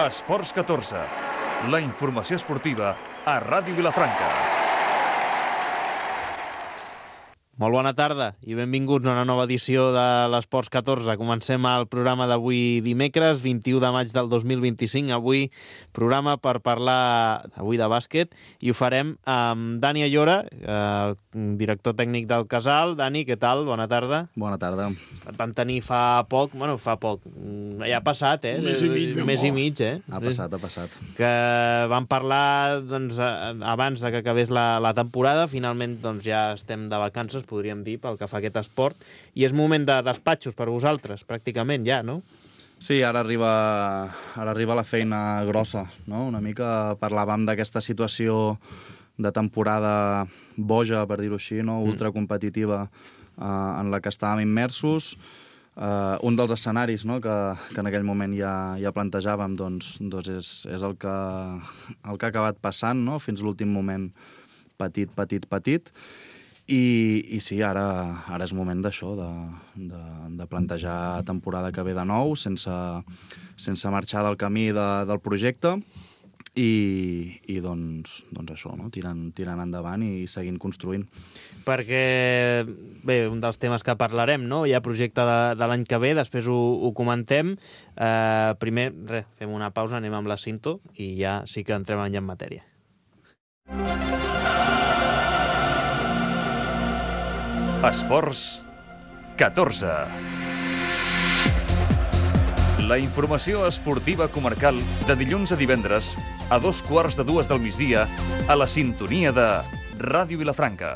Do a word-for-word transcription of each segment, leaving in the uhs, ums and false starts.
Esports catorze, la informació esportiva a Ràdio Vilafranca. Molt bona tarda i benvinguts a una nova edició de l'Esports catorze. Comencem el programa d'avui dimecres, vint-i-u de maig del dos mil vint-i-cinc. Avui programa per parlar avui de bàsquet i ho farem amb Dani Ayora, el director tècnic del Casal. Dani, què tal? Bona tarda. Bona tarda. Et vam tenir fa poc, bueno, fa poc, ja ha passat, eh? Un mes i mig. Un mes i mig, eh? Ha passat, ha passat. Que vam parlar, doncs, abans de que acabés la, la temporada. Finalment, doncs, ja estem de vacances, podríem dir, pel que fa a aquest esport, i és moment de despatxos per vosaltres, pràcticament ja, no? Sí, ara arriba, ara arriba la feina grossa, no? Una mica parlàvem d'aquesta situació de temporada boja, per dir-ho així, no? Ultracompetitiva, eh, en la que estàvem immersos. Eh, un dels escenaris, no? que, que en aquell moment ja, ja plantejàvem, doncs, doncs és, és el, que, el que ha acabat passant, no? Fins l'últim moment, petit, petit, petit. I, i sí, ara, ara és moment d'això, de, de, de plantejar temporada que ve de nou, sense, sense marxar del camí de, del projecte i, i doncs, doncs això, no? tirant, tirant endavant i seguint construint. Perquè, bé, un dels temes que parlarem, no? Hi ha projecte de, de l'any que ve, després ho, ho comentem. Eh, primer, res, fem una pausa, anem amb la cinto i ja sí que entrem ja en matèria. Esports catorze. La informació esportiva comarcal de dilluns a divendres a dos quarts de dues del migdia a la sintonia de Ràdio Vilafranca.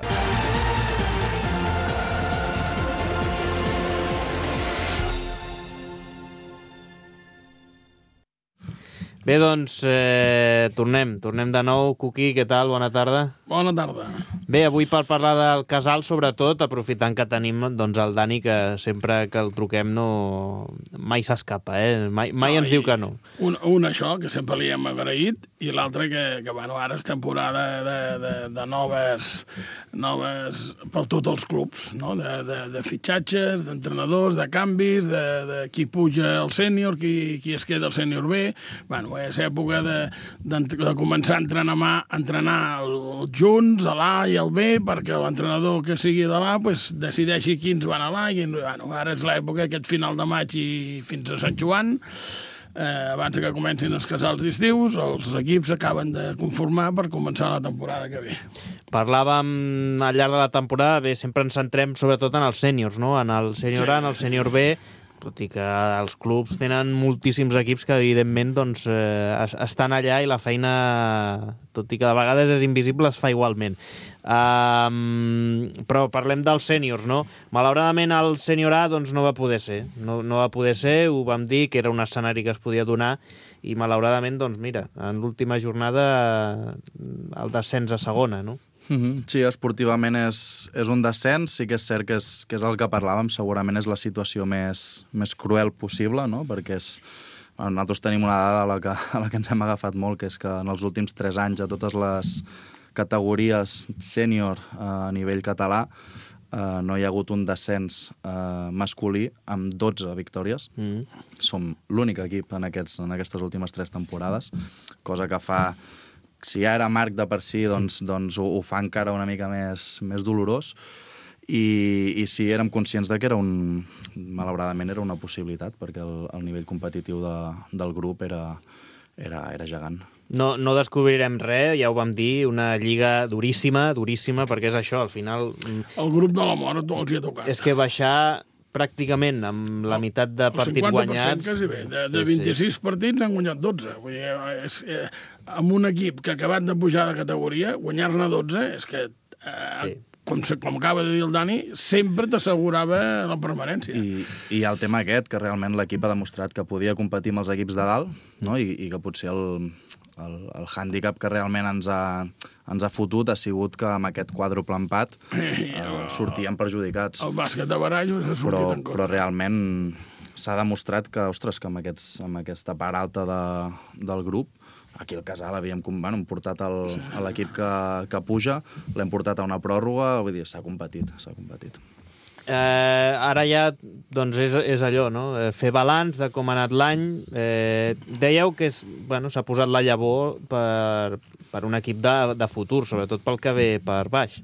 Bé, doncs, eh, tornem. Tornem de nou. Cuqui, què tal? Bona tarda. Bona tarda. Bé, avui per parlar del Casal, sobretot, aprofitant que tenim doncs, el Dani, que sempre que el truquem no... mai s'escapa, eh? Mai, mai no, ens diu que no. Un, un això, que sempre li hem agraït, i l'altre que, que bueno, ara és temporada de, de, de noves, noves per tots els clubs, no? de, de, de fitxatges, d'entrenadors, de canvis, de, de qui puja al sènior, qui, qui es queda al sènior B. Bueno, és època de, de, de començar a entrenar, a entrenar els junts, a l'A i al B, perquè l'entrenador que sigui de l'A pues, decideixi quins van a l'A. I, bueno, ara és l'època, aquest final de maig i fins a Sant Joan. Eh, abans que comencin els casals d'estius, els equips acaben de conformar per començar la temporada que ve. Parlàvem al llarg de la temporada, bé, sempre ens centrem sobretot en els sèniors, no? En el sènior A, en el sènior B, tot i que els clubs tenen moltíssims equips que, evidentment, doncs, eh, estan allà i la feina, tot i que de vegades és invisible, es fa igualment. Um, però parlem dels sèniors, no? Malauradament el sènior A doncs, no va poder ser. No, no va poder ser, ho vam dir, que era un escenari que es podia donar i, malauradament, doncs, mira, en l'última jornada el descens a segona, no? Mm-hmm. Sí, esportivament és, és un descens, sí que és cert que és, que és el que parlàvem, segurament és la situació més, més cruel possible, no? Perquè és, bueno, nosaltres tenim una dada a la, que, a la que ens hem agafat molt, que és que en els últims tres anys a totes les categories sènior eh, a nivell català eh, no hi ha hagut un descens eh, masculí amb dotze victòries. Mm. Som l'únic equip en, aquests, en aquestes últimes tres temporades, cosa que fa... Si ja era marc de per si, doncs, doncs ho, ho fa encara una mica més, més dolorós. I, i sí, érem conscients de que era un... malauradament era una possibilitat, perquè el, el nivell competitiu de, del grup era, era, era gegant. No, no descobrirem res, ja ho vam dir, una lliga duríssima, duríssima, perquè és això, al final... El grup de la mort els hi ha tocat. És que baixar pràcticament amb la meitat de partits guanyats... Quasi bé. De, de vint-i-sis sí. partits han guanyat dotze. Vull dir, és, eh, amb un equip que ha acabat de pujar de categoria, guanyar-ne dotze, és que, eh, sí. com, com acaba de dir el Dani, sempre t'assegurava la permanència. I, I el tema aquest, que realment l'equip ha demostrat que podia competir amb els equips de dalt, no? I, i que potser el, el, el hàndicap que realment ens ha, ens ha fotut ha sigut que amb aquest quàdruple empat eh, sortíem perjudicats. El bàsquet de barallos ha sortit però, en contra. Però realment s'ha demostrat que, ostres, que amb, aquests, amb aquesta part alta de, del grup, aquí al Casal havíem bueno, portat el, sí. l'equip que, que puja, l'hem portat a una pròrroga, vull dir, s'ha competit, s'ha competit. Eh, ara ja doncs és, és allò, no? Fer balanç de com ha anat l'any. Eh, dèieu que és, bueno, s'ha posat la llavor per, per un equip de, de futur, sobretot pel que ve per baix.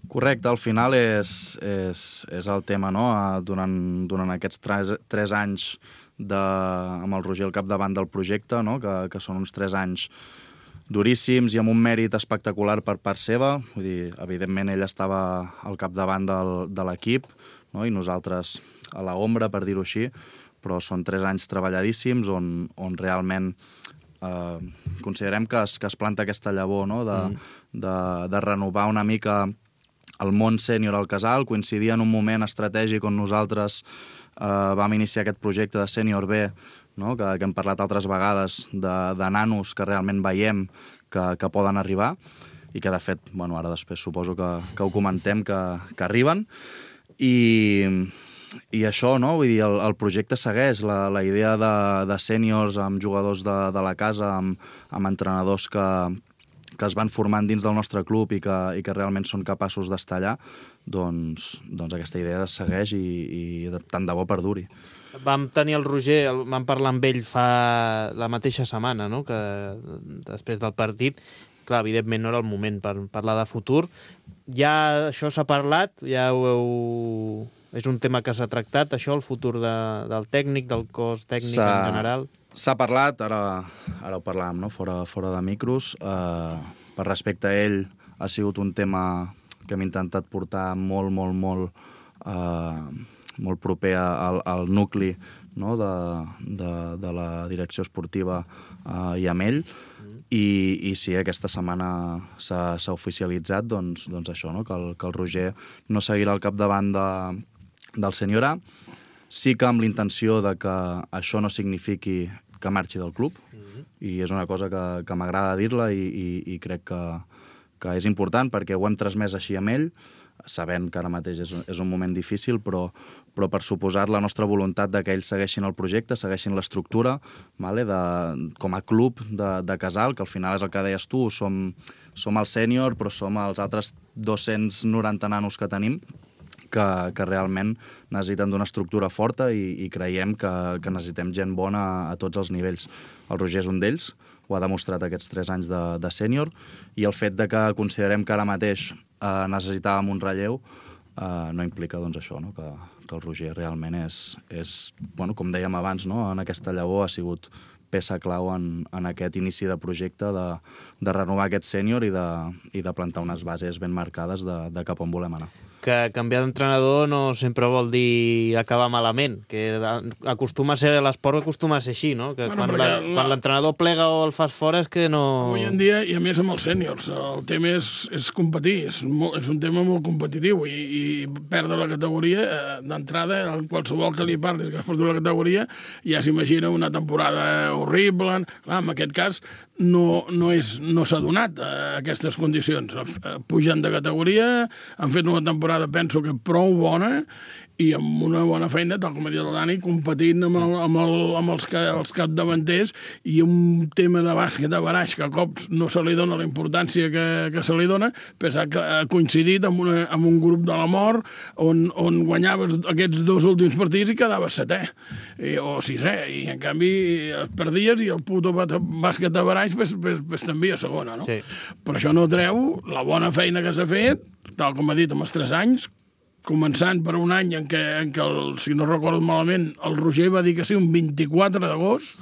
Correcte, al final és, és, és el tema, no? Durant, durant aquests tres, tres anys de, amb el Roger al capdavant del projecte, no? que, que són uns tres anys duríssims i amb un mèrit espectacular per part seva. Vull dir, evidentment ell estava al capdavant del, de l'equip, no? I nosaltres a l'ombra, per dir-ho així, però són tres anys treballadíssims on, on realment eh, considerem que es, que es planta aquesta llavor, no? de, mm. de, de renovar una mica el món sènior al Casal, coincidir en un moment estratègic on nosaltres eh, vam iniciar aquest projecte de Sènior B, no? que, que hem parlat altres vegades de, de nanos que realment veiem que, que poden arribar i que, de fet, bueno, ara després suposo que, que ho comentem, que, que arriben. I, i això, no? Vull dir, el, el projecte segueix, la, la idea de, de sèniors amb jugadors de, de la casa, amb, amb entrenadors que, que es van formant dins del nostre club i que, i que realment són capaços d'estar allà, doncs, doncs aquesta idea segueix i, i de, tant de bo perduri. Vam tenir el Roger, el, vam parlar amb ell fa la mateixa setmana, no? Que després del partit, clar, evidentment no era el moment per parlar de futur. Ja això s'ha parlat, ja ho heu... És un tema que s'ha tractat, això, el futur de, del tècnic, del cos tècnic en general? S'ha parlat, ara, ara ho parlàvem, no? fora, fora de micros. Eh, per respecte a ell, ha sigut un tema que hem intentat portar molt, molt, molt... Eh, molt proper al, al nucli, no? de, de, de la direcció esportiva eh, i amb ell, mm. I, i sí, aquesta setmana s'ha oficialitzat doncs, doncs això, no? que, el, que el Roger no seguirà al capdavant de, del Sènior A. Sí que amb l'intenció de que això no signifiqui que marxi del club, mm. i és una cosa que, que m'agrada dir-la i, i, i crec que, que és important perquè ho hem transmès així amb ell, sabent que ara mateix és, és un moment difícil, però, però per suposat la nostra voluntat de que ells segueixin el projecte, segueixin l'estructura, vale? de, com a club de, de Casal, que al final és el que deies tu, som, som el sènior, però som els altres dos-cents noranta nanos que tenim, que, que realment necessiten d'una estructura forta i, i creiem que, que necessitem gent bona a, a tots els nivells. El Roger és un d'ells, ho ha demostrat aquests tres anys de, de sènior, i el fet de que considerem que ara mateix eh, necessitàvem un relleu eh, no implica doncs, això, no? que, que el Roger realment és, és bueno, com dèiem abans, no? en aquesta llavor ha sigut peça clau en, en aquest inici de projecte de, de renovar aquest sènior i, de, i de plantar unes bases ben marcades de, de cap on volem anar. Que canviar d'entrenador no sempre vol dir acabar malament, que acostuma a ser, l'esport acostuma a ser així, no? Que bueno, quan, la, la... quan l'entrenador plega o el fas fora és que no... Avui en dia, i a més amb els sèniors, el tema és, és competir, és, molt, és un tema molt competitiu i, i perdre la categoria eh, d'entrada, qualsevol que li parlis que has perdut la categoria, ja s'imagina una temporada horrible. Clar, en aquest cas no, no, és, no s'ha donat eh, aquestes condicions. Eh, pugen de categoria, han fet una temporada penso que prou bona i amb una bona feina, tal com ha dit el Dani, competint amb, el, amb, el, amb els, els capdavanters i un tema de bàsquet a baraix que a cops no se li dona la importància que, que se li dona, però que ha coincidit amb, una, amb un grup de la mort on, on guanyaves aquests dos últims partits i quedaves setè i, o sisè, i en canvi perdies i el puto bàsquet a baraix pues, pues, pues, t'envia a segona, no? Sí. Però això no treu la bona feina que s'ha fet, tal com ha dit, amb els tres anys, començant per un any en què, en què el, si no recordo malament, el Roger va dir que sí, un vint-i-quatre d'agost,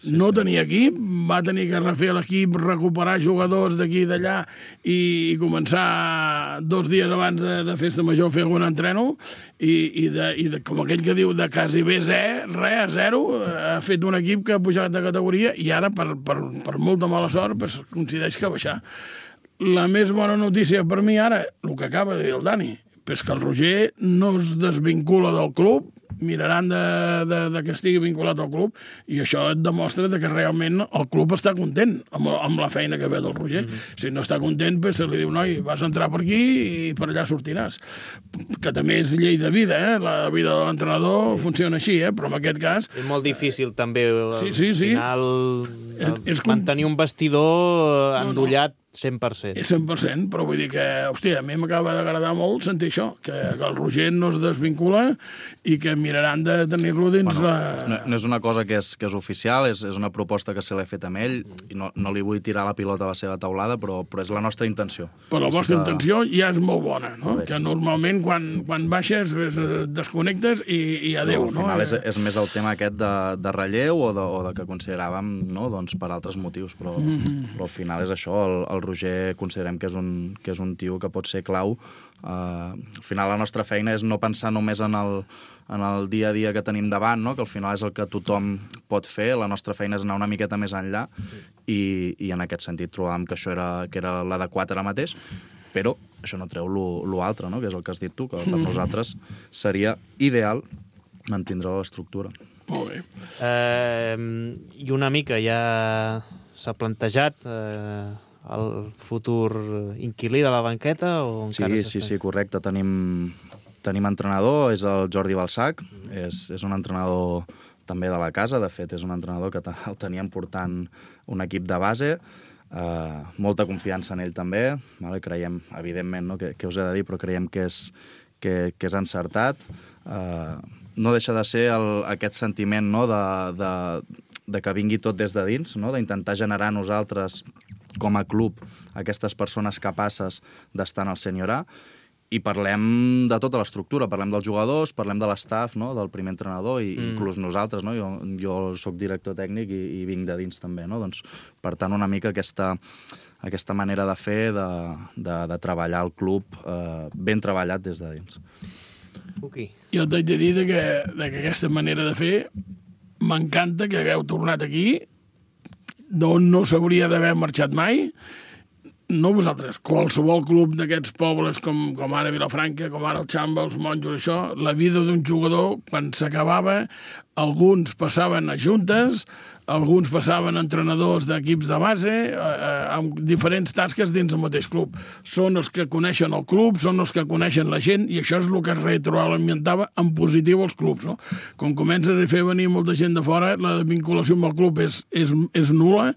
sí, no sí. tenia equip, va tenir que refer l'equip, recuperar jugadors d'aquí i d'allà i, i començar dos dies abans de, de festa major a fer algun entreno i, i, de, i de, com aquell que diu de quasi bé res, res, a zero, ha fet un equip que ha pujat de categoria i ara, per, per, per molta mala sort, pues, coincideix que ha baixat. La més bona notícia per mi ara, el que acaba de dir el Dani, és que el Roger no es desvincula del club, miraran de, de, de que estigui vinculat al club, i això et demostra que realment el club està content amb, amb la feina que ve del Roger. Mm-hmm. Si no està content, pues, se li diu, noi, vas entrar per aquí i per allà sortiràs. Que també és llei de vida, eh? La vida de l'entrenador sí. funciona així, eh? Però en aquest cas... És molt difícil, eh, també, al sí, sí, sí. final, és, és mantenir un vestidor endollat no, no. cent per cent. cent per cent, però vull dir que, hòstia, a mi m'acaba d'agradar molt sentir això, que, que el Roger no es desvincula i que miraran de tenir-lo dins bueno, la... No, no és una cosa que és, que és oficial, és, és una proposta que se l'he fet amb ell i no, no li vull tirar la pilota a la seva taulada, però, però és la nostra intenció. Però la sí vostra que... intenció ja és molt bona, no? Que normalment quan, quan baixes es desconnectes i, i adéu, no? Al final no? és, és més el tema aquest de, de relleu o de, o de que consideràvem, no? Doncs per altres motius, però, mm-hmm. però al final és això, el, el Roger considerem que és un, que és un tio que pot ser clau. Uh, al final la nostra feina és no pensar només en el, en el dia a dia que tenim davant, no? Que al final és el que tothom pot fer, la nostra feina és anar una miqueta més enllà i, i en aquest sentit trobàvem que això era, que era l'adequat ara mateix, però això no treu l'altre, no? Que és el que has dit tu, que per nosaltres seria ideal mantindre l'estructura. Molt bé. Eh, I una mica ja s'ha plantejat eh, el futur inquilí de la banqueta? O encara sí, sí, sí, correcte. Tenim, tenim entrenador, és el Jordi Balsac, és, és un entrenador també de la casa, de fet, és un entrenador que el teníem portant un equip de base, eh, molta confiança en ell també, vale? Creiem, evidentment, no? que, que us he de dir, però creiem que és, que, que és encertat. Eh, no deixa de ser el, aquest sentiment, no? de, de, de que vingui tot des de dins, no? D'intentar generar nosaltres, com a club, aquestes persones capaces d'estar en el Sènior A, i parlem de tota l'estructura, parlem dels jugadors, parlem de l'estaf, no? Del primer entrenador, i mm. inclús nosaltres, no? Jo, jo soc director tècnic i, i vinc de dins també, no? Doncs, per tant, una mica aquesta, aquesta manera de fer, de, de, de treballar el club eh, ben treballat des de dins. Okay. Jo t'haig de dir que, de que aquesta manera de fer m'encanta que hagueu tornat aquí, d'on no s'hauria d'haver marxat mai. No vosaltres, qualsevol club d'aquests pobles com, com ara Vilafranca, com ara el Xamba, els Monjos, això, la vida d'un jugador, quan s'acabava, alguns passaven a juntes, alguns passaven a entrenadors d'equips de base, eh, amb diferents tasques dins el mateix club. Són els que coneixen el club, són els que coneixen la gent, i això és el que retroalimentava en positiu els clubs, no? Quan comences a fer venir molta gent de fora, la vinculació amb el club és, és, és nul·la,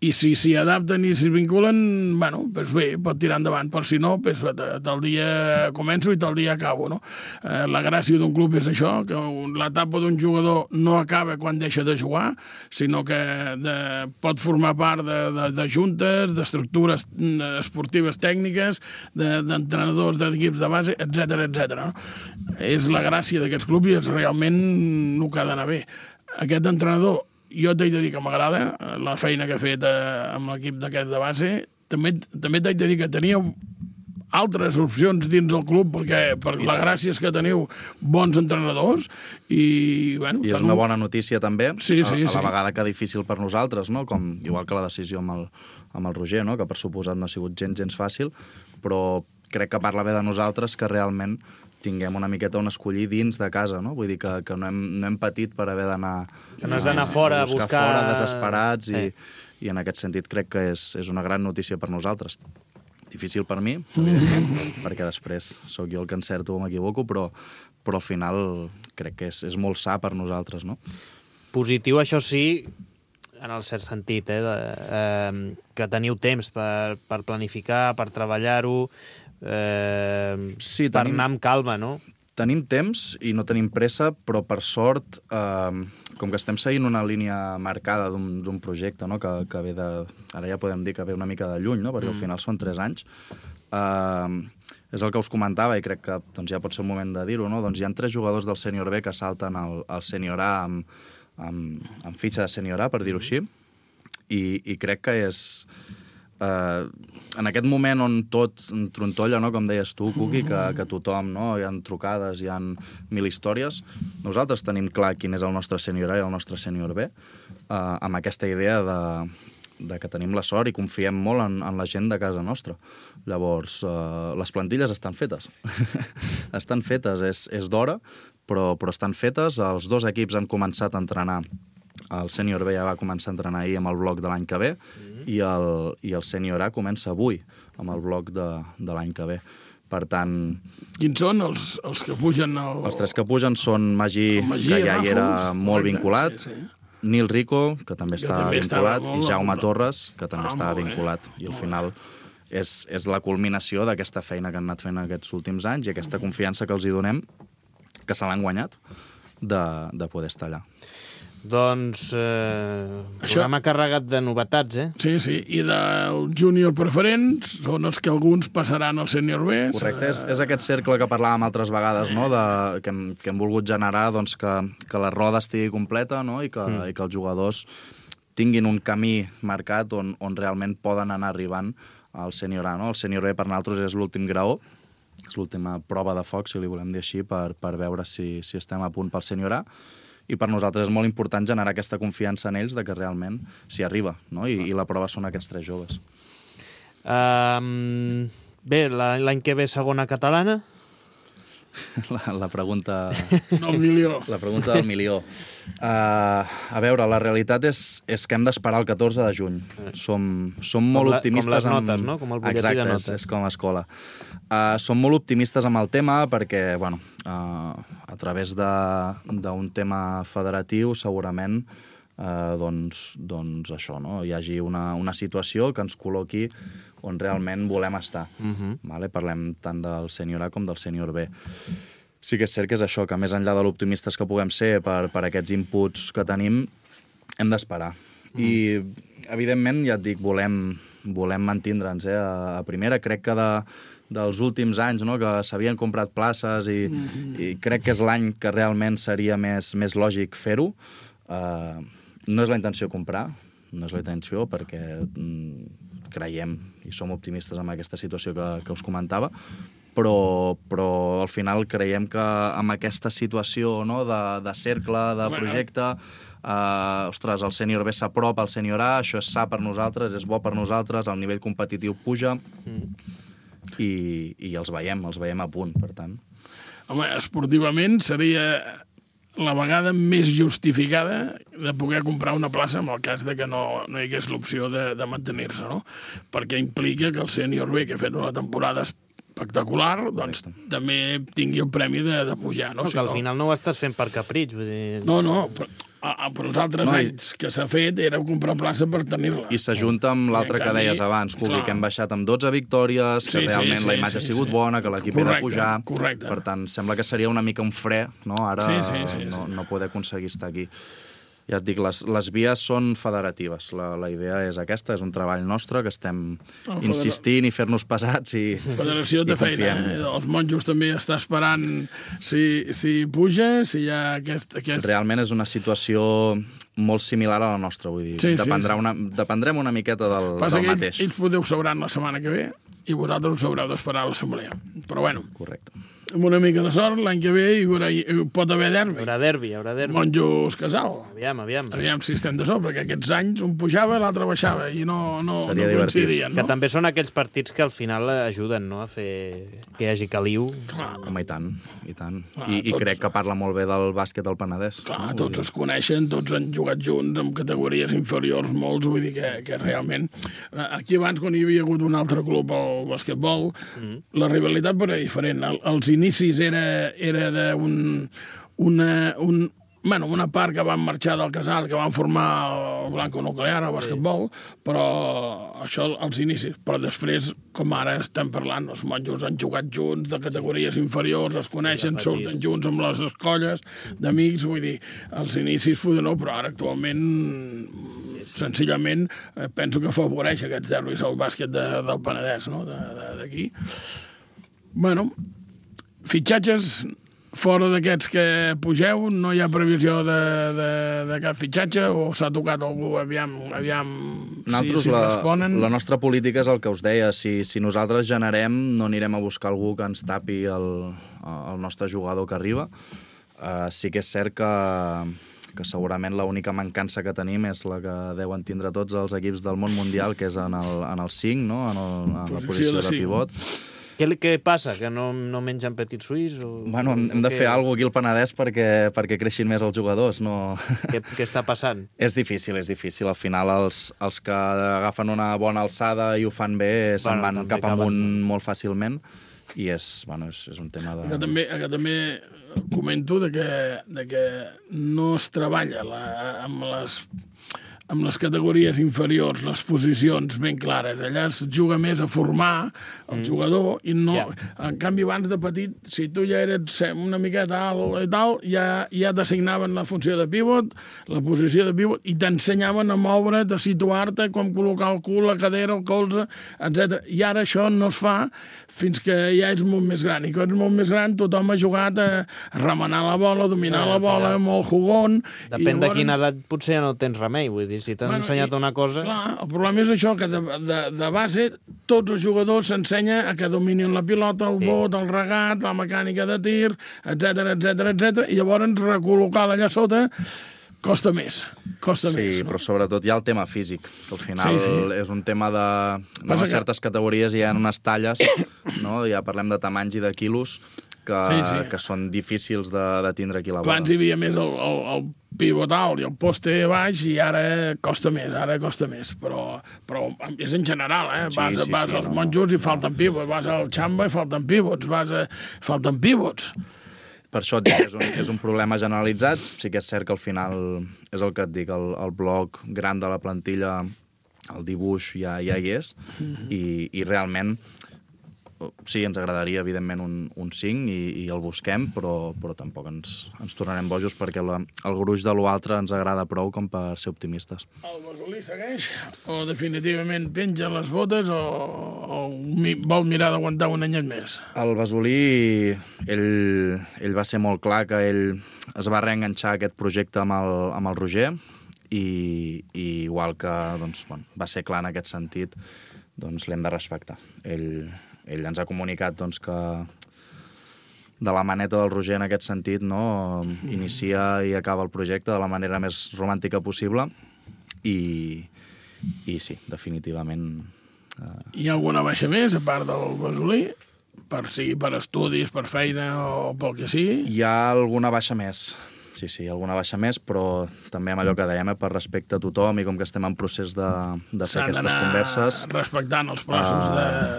i si s'hi adapten i s'hi vinculen, bueno, doncs bé, pot tirar endavant, però si no, doncs, tal dia començo i tal dia acabo, no? Eh, la gràcia d'un club és això, que l'etapa d'un jugador no acaba quan deixa de jugar, sinó que de, pot formar part de, de, de juntes, d'estructures esportives tècniques, d'entrenadors de, d'equips de base, etcètera, etcètera. No? És la gràcia d'aquests clubs i és realment el que ha d'anar bé. Aquest entrenador, jo t'haig de dir que m'agrada la feina que ha fet eh, amb l'equip d'aquest de base. També, també t'haig de dir que teníeu altres opcions dins del club perquè per la gràcia és que teniu bons entrenadors i, bueno... I és teniu... una bona notícia també, sí, sí, a, a la sí. vegada que difícil per nosaltres, no? Com, igual que la decisió amb el, amb el Roger, no? Que per suposat no ha sigut gens, gens fàcil, però crec que parla bé de nosaltres que realment tinguem una miqueta on escollir dins de casa, no? Vull dir que, que no, hem, no hem patit per haver d'anar... Que no has d'anar fora a buscar... fora, desesperats, i, eh. i en aquest sentit crec que és, és una gran notícia per nosaltres. Difícil per mi, evidentment, perquè després sóc jo el que encerto o m'equivoco, però, però al final crec que és, és molt sa per nosaltres, no? Positiu, això sí, en el cert sentit, eh, de, eh, que teniu temps per, per planificar, per treballar-ho, eh, sí, per tenim, anar amb calma, no? Tenim temps i no tenim pressa, però per sort, eh, com que estem seguint una línia marcada d'un projecte, no? que, que ve de... Ara ja podem dir que ve una mica de lluny, no? Perquè mm. al final són tres anys. Eh, és el que us comentava i crec que doncs, ja pot ser el moment de dir-ho, no? Doncs hi ha tres jugadors del Sènior B que salten al, al Sènior A amb, amb, amb fitxa de Sènior A, per dir-ho així, i, i crec que és... Uh, en aquest moment on tot trontolla, no? Com deies tu, Cuqui, que, que tothom, no? Hi ha trucades, hi ha mil històries, nosaltres tenim clar quin és el nostre Sènior A i el nostre Sènior B, uh, amb aquesta idea de, de que tenim la sort i confiem molt en, en la gent de casa nostra. Llavors, uh, les plantilles estan fetes. estan fetes, és, és d'hora, però, però estan fetes. Els dos equips han començat a entrenar. El Sènior B ja va començar a entrenar ahir amb el bloc de l'any que ve, mm-hmm. i el, i el Sènior A comença avui amb el bloc de, de l'any que ve. Per tant... Quins són els, els que pugen? El... Els tres que pugen són Magí, Magí que ja hi era Ràfols, molt correcte, vinculat, sí, sí. Nil Rico, que també Que està també estava vinculat, molt i Jaume vinculat. Torres, que també Ah, estava molt bé. vinculat. I al Molt final és, és la culminació d'aquesta feina que han anat fent aquests últims anys i aquesta confiança que els hi donem, que se l'han guanyat, de, de poder estar allà. Doncs eh, Això- programa carregat de novetats, eh? Sí, sí, i del júnior preferents són els que alguns passaran al sènior B. Correcte, és, és aquest cercle que parlàvem altres vegades, no? de, que, hem, que hem volgut generar doncs, que, que la roda estigui completa, no? I, que, mm. i que els jugadors tinguin un camí marcat on, on realment poden anar arribant al sènior A. No? El sènior B per nosaltres és l'últim graó, és l'última prova de foc, si li volem dir així, per, per veure si, si estem a punt pel sènior A. I per nosaltres és molt important generar aquesta confiança en ells de que realment s'hi arriba, no? I, i la prova són aquests tres joves. Um, bé, la- l'any que ve segona catalana. La, la pregunta... El milió. La pregunta del milió. Uh, a veure, la realitat és, és que hem d'esperar el catorze de juny. Som, som molt la- optimistes... com les amb... notes, no? Com el butlletí Exacte, de és, notes. és com a escola. Uh, som molt optimistes amb el tema perquè, bueno, uh, a través de- d'un tema federatiu, segurament, uh, doncs, doncs això, no? Hi hagi una, una situació que ens col·loqui on realment volem estar. Uh-huh. Vale? Parlem tant del sènior A com del sènior B. Sí que és cert que és això, que més enllà de l'optimistes que puguem ser per, per aquests inputs que tenim, hem d'esperar. Mm. I, evidentment, ja et dic, volem, volem mantindre'ns eh, a, a primera. Crec que de, dels últims anys, no?, que s'havien comprat places i, mm-hmm. i crec que és l'any que realment seria més, més lògic fer-ho. Uh, no és la intenció comprar, no és la intenció perquè mm, creiem i som optimistes amb aquesta situació que, que us comentava, però, però al final creiem que amb aquesta situació, no?, de, de cercle, de projecte, eh, ostres, el sènior B s'apropa al sènior A, això és sa per nosaltres, és bo per nosaltres, el nivell competitiu puja mm. i, i els veiem, els veiem a punt, per tant. Home, esportivament seria la vegada més justificada de poder comprar una plaça en el cas de que no, no hi hagués l'opció de, de mantenir-se, no? Perquè implica que el sènior B, que ha fet una temporada espectacular, doncs Correcte. també tingui el premi de, de pujar, no? No, Si que al no- final no ho estàs fent per capritx, vull dir... No, no, però, a, a, però els altres No, no, i- anys que s'ha fet era comprar plaça per tenir-la. I s'ajunta amb l'altre I en que canvi, deies abans, Cubi, clar. que hem baixat amb dotze victòries, que Sí, sí, realment sí, la imatge sí, ha sigut sí. bona, que l'equip ha de Correcte, pujar. correcte. Per tant, sembla que seria una mica un fre, no?, ara Sí, sí, sí, no, sí. no poder aconseguir estar aquí. Ja et dic, les, les vies són federatives. La, la idea és aquesta, és un treball nostre, que estem El federa- insistint i fer-nos pesats i, Federació i de feina. confiem. Eh? Els monjos també està esperant si, si puja, si hi ha aquest... aquest... Realment és una situació molt similar a la nostra, vull dir. Sí, sí, Dependrà sí. Una, dependrem una miqueta del, Passa del que ells, mateix. ells podeu sabran la setmana que ve i vosaltres us haureu d'esperar a l'assemblea. Però bueno, Correcte. amb una mica de sort, l'any que ve hi, haurà, hi pot haver Hi derbi. haurà derbi, hi haurà derbi. Monjos Casal. Aviam, aviam. Aviam si estem de sort, perquè aquests anys un pujava i l'altre baixava i no, no, Seria no divertit. coincidien, Que no? també són aquells partits que al final ajuden, no?, a fer que hi hagi caliu. Clar, Home, i tant, i tant. Clar, I, I tots- crec que parla molt bé del bàsquet del Penedès. clar, no? tots es coneixen, tots han jugat junts en categories inferiors, molts, vull dir que, que realment... eh, Aquí abans, quan hi havia hagut un altre club al basquetbol, mm. la rivalitat era diferent. El, els inicis era, era d'un... Una, un, bueno, una part que van marxar del casal, que van formar el Blanco Nuclear, el basquetbol, però això als inicis. Però després, com ara estem parlant, els monjos han jugat junts de categories inferiors, es coneixen, petits. surten junts amb les escolles d'amics, vull dir, als inicis poder no, però ara actualment senzillament eh, penso que afavoreix aquests derbis al bàsquet de, del Penedès, no?, de- de- d'aquí. Bueno, fitxatges fora d'aquests que pugeu, no hi ha previsió de, de, de cap fitxatge o s'ha tocat algú, aviam, aviam Nosaltres, si, si la, responen. la nostra política és el que us deia. Si, si nosaltres generem, no anirem a buscar algú que ens tapi el, el nostre jugador que arriba. Uh, sí que és cert que, que segurament l'única mancança que tenim és la que deuen tindre tots els equips del món mundial, que és en el, en el cinc, no? en, el, en la Posició posició de de cinc. pivot. Què, què passa? Que no, no mengen petit suís? O, Bueno, hem, hem de o fer què- alguna cosa aquí al Penedès perquè, perquè creixin més els jugadors. No... Què, què està passant? És difícil, és difícil. Al final, els, els que agafen una bona alçada i ho fan bé se'n Bueno, van també cap acaben- amunt molt fàcilment i és, bueno, és, és un tema de... Que també, que també comento de que, de que no es treballa la, amb les amb les categories inferiors, les posicions ben clares. Allà es juga més a formar el mm. jugador i no... Yeah. En canvi, abans de petit, si tu ja eres una miqueta alt i tal, ja, ja t'assignaven la funció de pivot, la posició de pivot, i t'ensenyaven a moure't, a situar-te, com col·locar el cul, la cadera, el colze, etcètera. I ara això no es fa fins que ja és molt més gran. I quan és molt més gran, tothom ha jugat a remenar la bola, a dominar no, la bola, no. molt jugon... Depèn llavors... de quina edat, potser ja no tens remei, vull dir. Si t'han bueno, ensenyat i, una cosa... Clar, el problema és això, que de, de, de base tots els jugadors s'ensenya a que dominin la pilota, el sí. bot, el regat, la mecànica de tir, etcètera, etcètera, etcètera, i llavors recol·locar-la allà sota costa més, costa sí, més. Sí, no? Però sobretot hi ha el tema físic, que al final sí, sí. és un tema de... No, a certes que... categories hi ha unes talles, no? Ja parlem de tamanys i de quilos, que, sí, sí. que són difícils de, de tindre aquí a la bola. Abans hi havia més el, el, el pivot alt i el poste baix i ara costa més, ara costa més, però, però és en general, eh? Sí, vas sí, vas sí, als no, monjos i no. falten pivots, vas al xamba i falten pivots, vas a... falten pivots. Per això et dic, és un, és un problema generalitzat, sí que és cert que al final és el que et dic, el, el bloc gran de la plantilla, el dibuix ja, ja hi és, mm-hmm. i, i realment sí, ens agradaria, evidentment, un, un cinc i, i el busquem, però, però tampoc ens, ens tornarem bojos perquè la, el gruix de l'altre ens agrada prou com per ser optimistes. El Basolí segueix o definitivament penja les botes o, o vol mirar d'aguantar un anyet més? El Basolí, ell, ell va ser molt clar que ell es va reenganxar aquest projecte amb el, amb el Roger i, i igual que doncs, bueno, va ser clar en aquest sentit, doncs l'hem de respectar. Ell... Ell ens ha comunicat doncs, que de la maneta del Roger en aquest sentit no inicia i acaba el projecte de la manera més romàntica possible i, i sí, definitivament... Eh... Hi ha alguna baixa més, a part del Basolí? Per, sigui per estudis, per feina o pel que sigui? Hi ha alguna baixa més. Sí, sí, alguna baixa més, però també amb allò que dèiem, eh, per respecte a tothom i com que estem en procés de, de fer aquestes converses... respectant els plaços uh,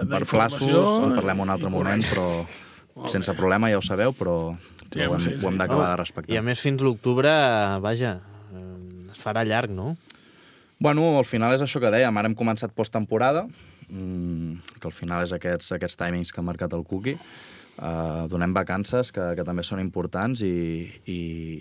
d'informació. Per plaços, en parlem un altre moment, però sense problema, ja ho sabeu, però, però sí, ho hem, sí, sí. ho hem d'acabar de respectar. I a més, fins l'octubre, vaja, es farà llarg, no? Bueno, al final és això que dèiem, ara hem començat posttemporada, mmm, que al final és aquests, aquests timings que ha marcat el Cookie. Uh, donem vacances, que, que també són importants i, i,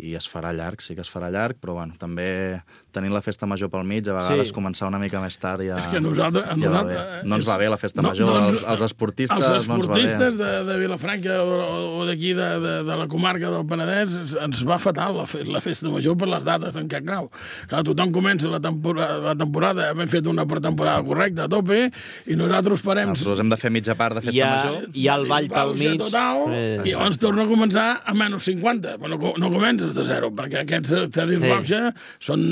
i es farà llarg, sí que es farà llarg, però bueno, també tenint la festa major pel mig, a vegades sí. començar una mica més tard ja, és que nosaltres, ja nosaltres, va bé. No ens és, va bé la festa no, major, no, els, els esportistes, els esportistes no ens va bé. de, de Vilafranca o, o d'aquí de, de, de la comarca del Penedès ens va fatal la, fe, la festa major per les dates en què cau. Clar, tothom comença la temporada, la temporada hem fet una pretemporada correcta a tope i nosaltres parem... Nosaltres hem de fer mitja part de festa hi ha, major. Hi ha el ball pel mig. Total, eh. I llavors torna a començar a menys cinquanta. Però no, no comences de zero, perquè aquests estadis sí. Bauxa són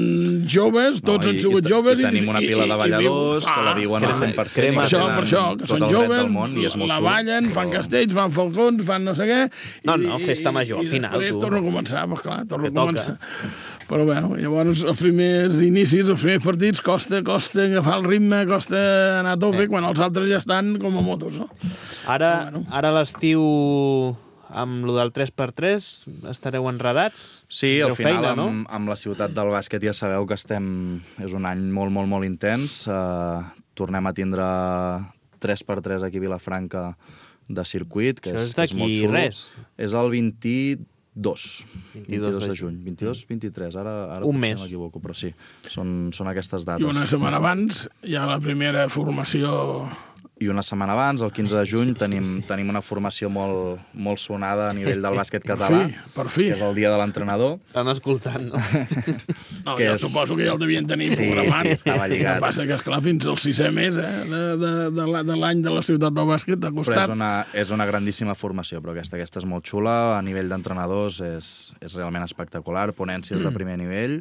joves, tots no, han sigut joves. I tenim una pila de balladors que la viuen al cent per cent. Per això, per això, que són joves, la ballen, fan castells, fan falcons, fan no sé què. No, no, festa major, al final. I després torna a començar, doncs clar, torna a començar. Però bueno, llavors els primers inicis, els primers partits, costa, costa agafar el ritme, costa anar a tope, quan els altres ja estan com a motos, no? Ara, ara l'estiu... amb lo del tres per tres estareu enredats? Sí, al final feina, no? amb, amb la ciutat del bàsquet ja sabeu que estem... És un any molt, molt, molt intens. Uh, tornem a tindre tres per tres aquí a Vilafranca de circuit, que és, és, és molt xulo. Res. És el vint-i-dos. vint-i-dos de juny. vint-i-dos vint-i-tres, ara, ara un mes. No m'equivoco, però sí, són, són aquestes dates. I una setmana abans hi ha la primera formació... I una setmana abans, el quinze de juny, tenim, tenim una formació molt, molt sonada a nivell del bàsquet català, per fi, per fi. Que és el dia de l'entrenador. Estan escoltant, no? No, jo és... suposo que ja el devien tenir sí, programat. Sí, estava lligat. El que passa que, esclar, fins al sisè mes eh, de, de, de l'any de la ciutat del bàsquet ha costat. Però és una, és una grandíssima formació, però aquesta, aquesta és molt xula, a nivell d'entrenadors és, és realment espectacular, ponències de primer nivell,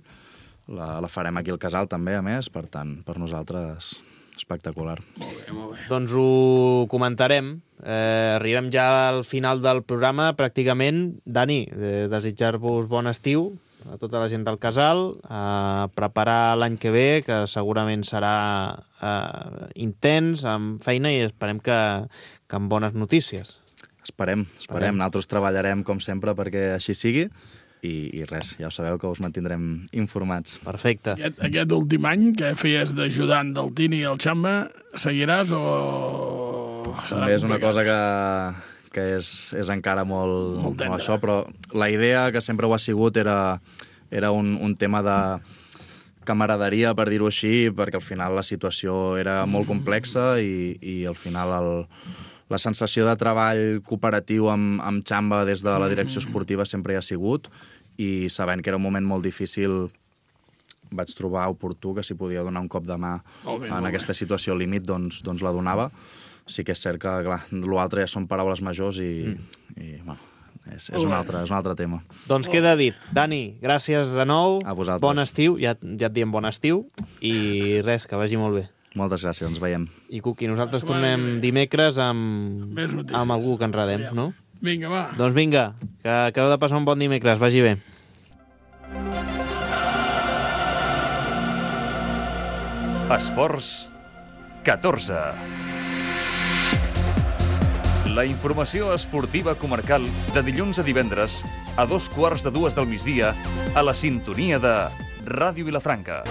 la, la farem aquí al Casal també, a més, per tant, per nosaltres... espectacular. Molt bé, molt bé. Doncs ho comentarem. Eh, arribem ja al final del programa, pràcticament. Dani, eh, desitjar-vos bon estiu a tota la gent del Casal, a preparar l'any que ve, que segurament serà eh, intens, amb feina, i esperem que, que amb bones notícies. esperem, esperem. Nosaltres treballarem, com sempre, perquè així sigui. I, i res, ja ho sabeu que us mantindrem informats. Perfecte. Aquest, aquest últim any que feies d'ajudant del Tini i el Xamba, seguiràs o serà També és una complicat? cosa que, que és, és encara molt, Molt tendra. això, però la idea que sempre ho ha sigut era, era un, un tema de camaraderia, per dir-ho així, perquè al final la situació era molt complexa i, i al final el, la sensació de treball cooperatiu amb, amb Xamba des de la direcció esportiva sempre hi ha sigut, i sabent que era un moment molt difícil vaig trobar oportú que si podia donar un cop de mà Molt bé, en molt aquesta situació límit, doncs, doncs la donava. Sí que és cert que, clar, l'altre ja són paraules majors i, mm. i bueno, és, és, un altre, és un altre tema. Doncs queda dit. Dani, gràcies de nou. A vosaltres. Bon estiu, ja, ja et diem bon estiu, i res, que vagi molt bé. Moltes gràcies, ens veiem. I Cuqui, nosaltres La setmana que tornem ve. dimecres amb, Més notícies. amb algú que enredem, Aviam. no? Vinga, va. Doncs vinga, que acabeu de passar un bon dimecres, vagi bé. Esports catorze. La informació esportiva comarcal de dilluns a divendres a dos quarts de dues del migdia a la sintonia de Ràdio Vilafranca.